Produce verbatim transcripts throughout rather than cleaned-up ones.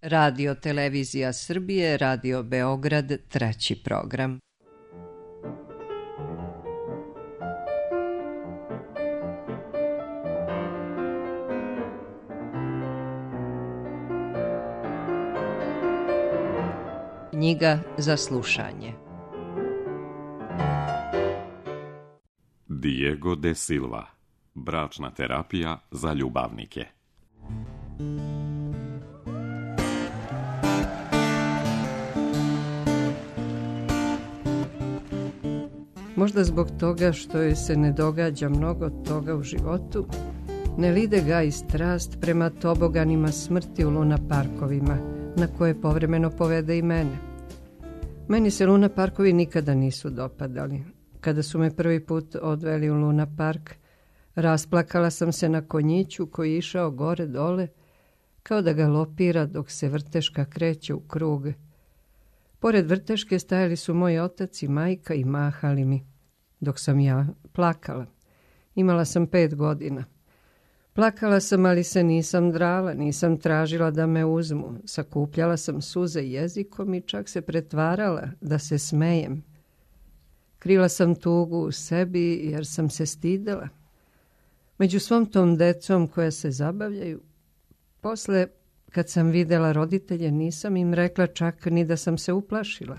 Radio Televizija Srbije, Radio Beograd, treći program. Knjiga za slušanje. Diego de Silva. Bračna terapija za ljubavnike. Možda zbog toga što joj se ne događa mnogo toga u životu, ne lide ga i strast prema toboganima smrti u luna parkovima, na koje povremeno povede i mene. Meni se luna parkovi nikada nisu dopadali. Kada su me prvi put odveli u luna park, rasplakala sam se na konjiću koji je išao gore dole, kao da ga lopira dok se vrteška kreće u krug. Pored vrteške stajali su moj otac i majka i mahali mi, dok sam ja plakala. Imala sam pet godina. Plakala sam, ali se nisam drala, nisam tražila da me uzmu. Sakupljala sam suze jezikom i čak se pretvarala da se smejem. Krila sam tugu u sebi jer sam se stidela. Među svom tom decom koja se zabavljaju, posle, kad sam videla roditelje, nisam im rekla čak ni da sam se uplašila.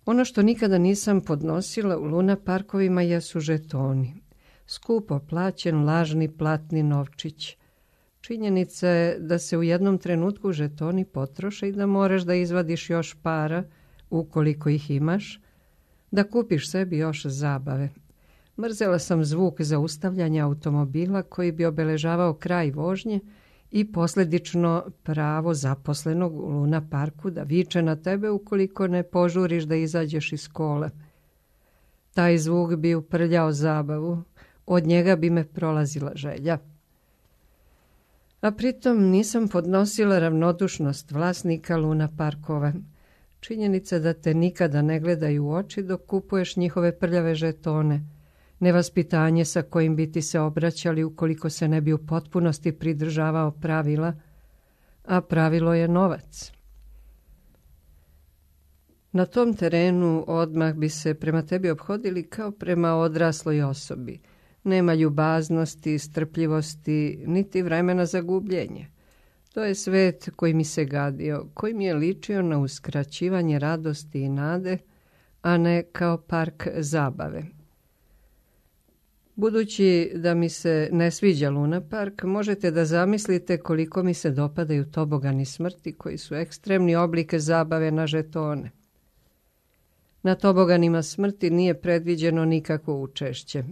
Ono što nikada nisam podnosila u luna parkovima jesu žetoni. Skupo plaćen lažni platni novčić. Činjenica je da se u jednom trenutku žetoni potroše i da moraš da izvadiš još para, ukoliko ih imaš, da kupiš sebi još zabave. Mrzela sam zvuk zaustavljanja automobila koji bi obeležavao kraj vožnje i posljedično pravo zaposlenog u luna parku da viče na tebe ukoliko ne požuriš da izađeš iz kola. Taj zvuk bi uprljao zabavu, od njega bi me prolazila želja. A pritom nisam podnosila ravnodušnost vlasnika luna parkova. Činjenica da te nikada ne gledaju u oči dok kupuješ njihove prljave žetone. Nevaspitanje sa kojim bi ti se obraćali ukoliko se ne bi u potpunosti pridržavao pravila, a pravilo je novac. Na tom terenu odmah bi se prema tebi ophodili kao prema odrasloj osobi. Nema ljubaznosti, strpljivosti, niti vremena za gubljenje. To je svet koji mi se gadio, koji mi je ličio na uskraćivanje radosti i nade, a ne kao park zabave. Budući da mi se ne sviđa luna park, možete da zamislite koliko mi se dopadaju tobogani smrti koji su ekstremni oblike zabave na žetone. Na toboganima smrti nije predviđeno nikakvo učešće.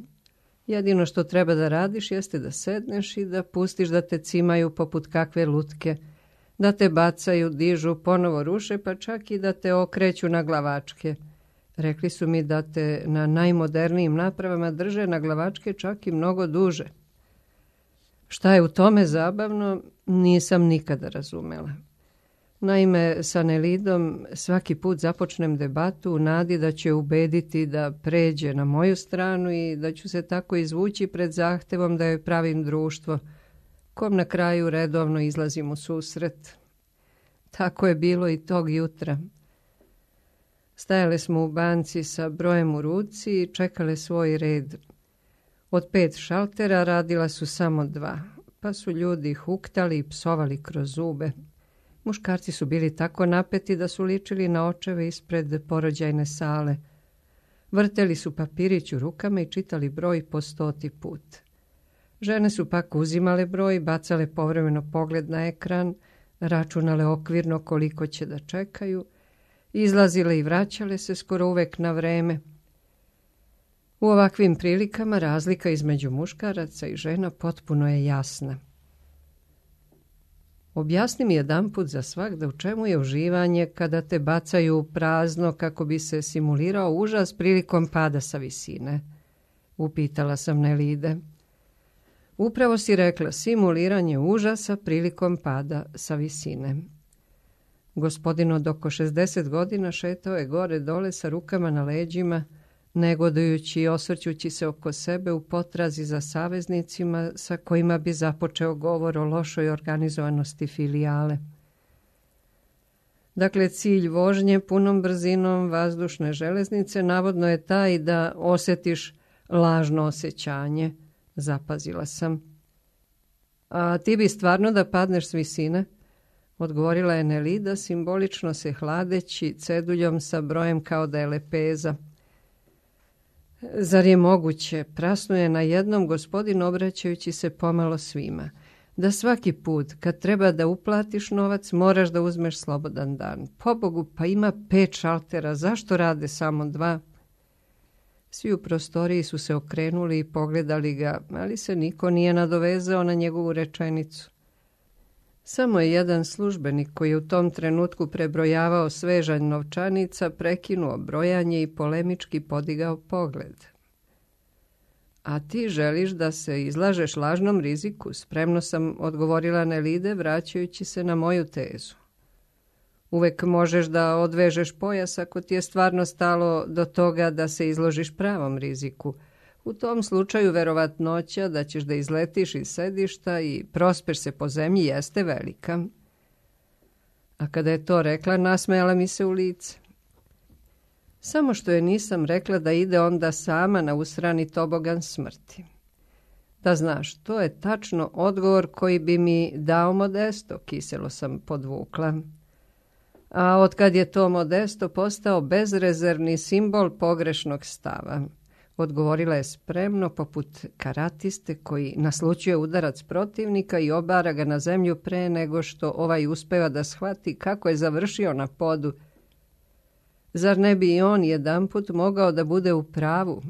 Jedino što treba da radiš jeste da sedneš i da pustiš da te cimaju poput kakve lutke, da te bacaju, dižu, ponovo ruše, pa čak i da te okreću na glavačke. Rekli su mi da te na najmodernijim napravama drže na glavačke čak i mnogo duže. Šta je u tome zabavno, nisam nikada razumela. Naime, sa Nelidom svaki put započnem debatu u nadi da će ubediti da pređe na moju stranu i da ću se tako izvući pred zahtevom da joj pravim društvo, kom na kraju redovno izlazim u susret. Tako je bilo i tog jutra. Stajale smo u banci sa brojem u ruci i čekale svoj red. Od pet šaltera radila su samo dva, pa su ljudi huktali i psovali kroz zube. Muškarci su bili tako napeti da su ličili na očeve ispred porođajne sale. Vrteli su papirić u rukama i čitali broj po stoti put. Žene su pak uzimale broj, bacale povremeno pogled na ekran, računale okvirno koliko će da čekaju, izlazile i vraćale se skoro uvek na vreme. U ovakvim prilikama razlika između muškaraca i žena potpuno je jasna. Objasni mi jedanput za svagda u čemu je uživanje kada te bacaju u prazno kako bi se simulirao užas prilikom pada sa visine. Upitala sam Nelide. Upravo si rekla, simuliranje užasa prilikom pada sa visine. Gospodin od oko šezdeset godina šetao je gore dole sa rukama na leđima, negodujući i osvrćući se oko sebe u potrazi za saveznicima sa kojima bi započeo govor o lošoj organizovanosti filijale. Dakle, cilj vožnje punom brzinom vazdušne železnice navodno je taj da osjetiš lažno osjećanje, zapazila sam. A ti bi stvarno da padneš s visine? Odgovorila je Nelida, simbolično se hladeći ceduljom sa brojem kao da je lepeza. Zar je moguće, prasnuje na jednom gospodin obraćajući se pomalo svima, da svaki put kad treba da uplatiš novac moraš da uzmeš slobodan dan. Pobogu, pa ima pet šaltera, zašto rade samo dva? Svi u prostoriji su se okrenuli i pogledali ga, ali se niko nije nadovezao na njegovu rečenicu. Samo je jedan službenik koji je u tom trenutku prebrojavao svežanj novčanica, prekinuo brojanje i polemički podigao pogled. A ti želiš da se izlažeš lažnom riziku, spremno sam odgovorila Nelide, vraćajući se na moju tezu. Uvek možeš da odvežeš pojas ako ti je stvarno stalo do toga da se izložiš pravom riziku. U tom slučaju verovatnoća da ćeš da izletiš iz sedišta i prospeš se po zemlji jeste velika. A kada je to rekla, nasmejala mi se u lice. Samo što je nisam rekla da ide onda sama na usrani tobogan smrti. Da znaš, to je tačno odgovor koji bi mi dao Modesto, kiselo sam podvukla. A otkad je to Modesto postao bezrezervni simbol pogrešnog stava, odgovorila je spremno poput karatiste koji naslučuje udarac protivnika i obara ga na zemlju pre nego što ovaj uspeva da shvati kako je završio na podu. Zar ne bi i on jedanput mogao da bude u pravu?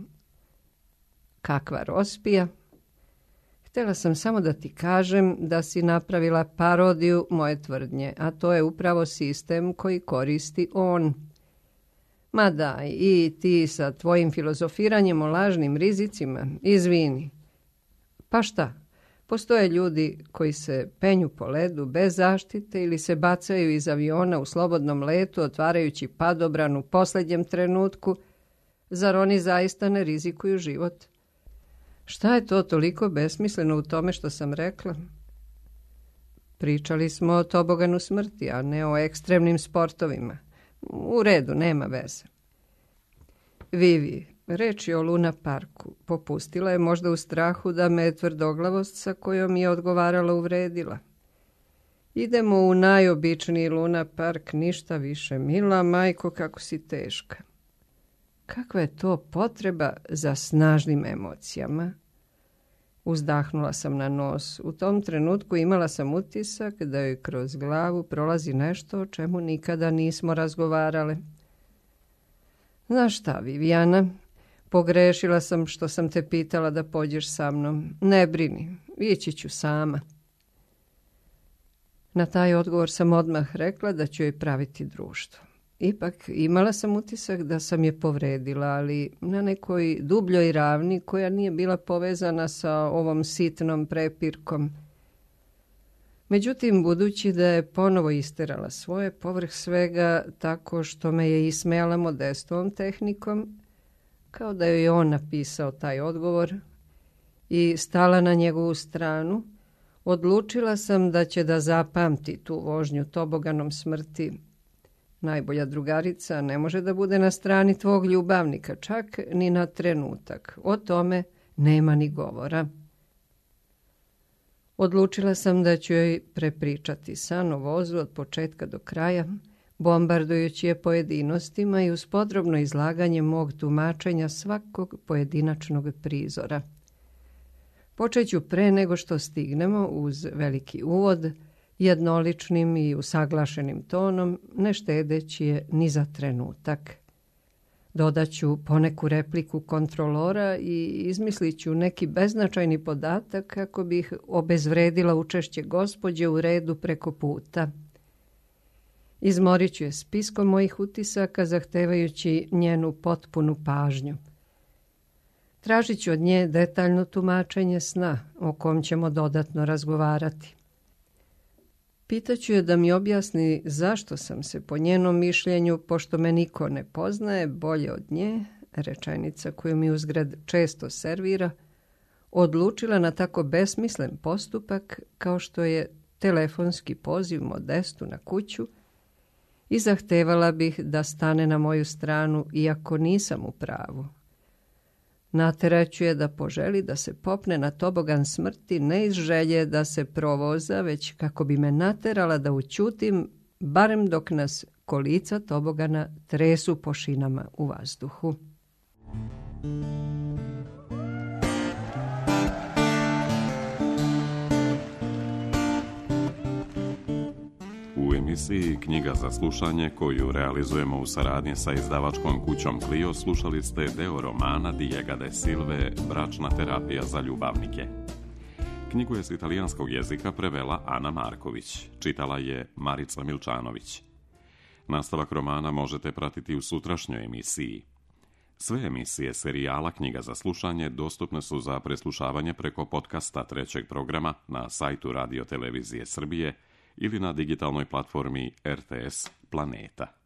Kakva rospija! Htjela sam samo da ti kažem da si napravila parodiju moje tvrdnje, a to je upravo sistem koji koristi on. Ma daj, i ti sa tvojim filozofiranjem o lažnim rizicima, izvini. Pa šta? Postoje ljudi koji se penju po ledu bez zaštite ili se bacaju iz aviona u slobodnom letu, otvarajući padobran u posljednjem trenutku. Zar oni zaista ne rizikuju život? Šta je to toliko besmisleno u tome što sam rekla? Pričali smo o toboganu smrti, a ne o ekstremnim sportovima. U redu, nema veze. Vivi, reč je o Luna Parku. Popustila je možda u strahu da me tvrdoglavost sa kojom je odgovarala uvredila. Idemo u najobičniji Luna Park, ništa više. Mila majko, kako si teška. Kakva je to potreba za snažnim emocijama? Uzdahnula sam na nos. U tom trenutku imala sam utisak da joj kroz glavu prolazi nešto o čemu nikada nismo razgovarale. Znaš šta, Vivijana, pogrešila sam što sam te pitala da pođeš sa mnom. Ne brini, ići ću sama. Na taj odgovor sam odmah rekla da ću joj praviti društvo. Ipak imala sam utisak da sam je povredila, ali na nekoj dubljoj ravni koja nije bila povezana sa ovom sitnom prepirkom. Međutim, budući da je ponovo isterala svoje, povrh svega tako što me je ismejala Modestovom tehnikom, kao da joj je on napisao taj odgovor, i stala na njegovu stranu, odlučila sam da će da zapamti tu vožnju toboganom smrti. Najbolja drugarica ne može da bude na strani tvog ljubavnika, čak ni na trenutak. O tome nema ni govora. Odlučila sam da ću joj prepričati san o vozu od početka do kraja, bombardujući je pojedinostima i uz podrobno izlaganje mog tumačenja svakog pojedinačnog prizora. Počeću pre nego što stignemo uz veliki uvod, jednoličnim i usaglašenim tonom, ne štedeći je ni za trenutak. Dodaću poneku repliku kontrolora i izmislit ću neki beznačajni podatak kako bih obezvredila učešće gospođe u redu preko puta. Izmorit ću je spiskom mojih utisaka, zahtevajući njenu potpunu pažnju. Tražit ću od nje detaljno tumačenje sna, o kom ćemo dodatno razgovarati. Pitaću je da mi objasni zašto sam se po njenom mišljenju, pošto me niko ne poznaje bolje od nje, rečenica koju mi uzgrad često servira, odlučila na tako besmislen postupak kao što je telefonski poziv Modestu na kuću i zahtevala bih da stane na moju stranu iako nisam u pravu. Nateraću je da poželi da se popne na tobogan smrti ne iz želje da se provoza, već kako bi me naterala da ućutim, barem dok nas kolica tobogana tresu po šinama u vazduhu. U emisiji Knjiga za slušanje, koju realizujemo u saradnji sa izdavačkom kućom Clio, slušali ste deo romana Diego de Silve Bračna terapija za ljubavnike. Knjigu je s italijanskog jezika prevela Ana Marković, čitala je Marica Milčanović. Nastavak romana možete pratiti u sutrašnjoj emisiji. Sve emisije serijala Knjiga za slušanje dostupne su za preslušavanje preko podcasta trećeg programa na sajtu Radio Televizije Srbije ili na digitalnoj platformi R T S Planeta.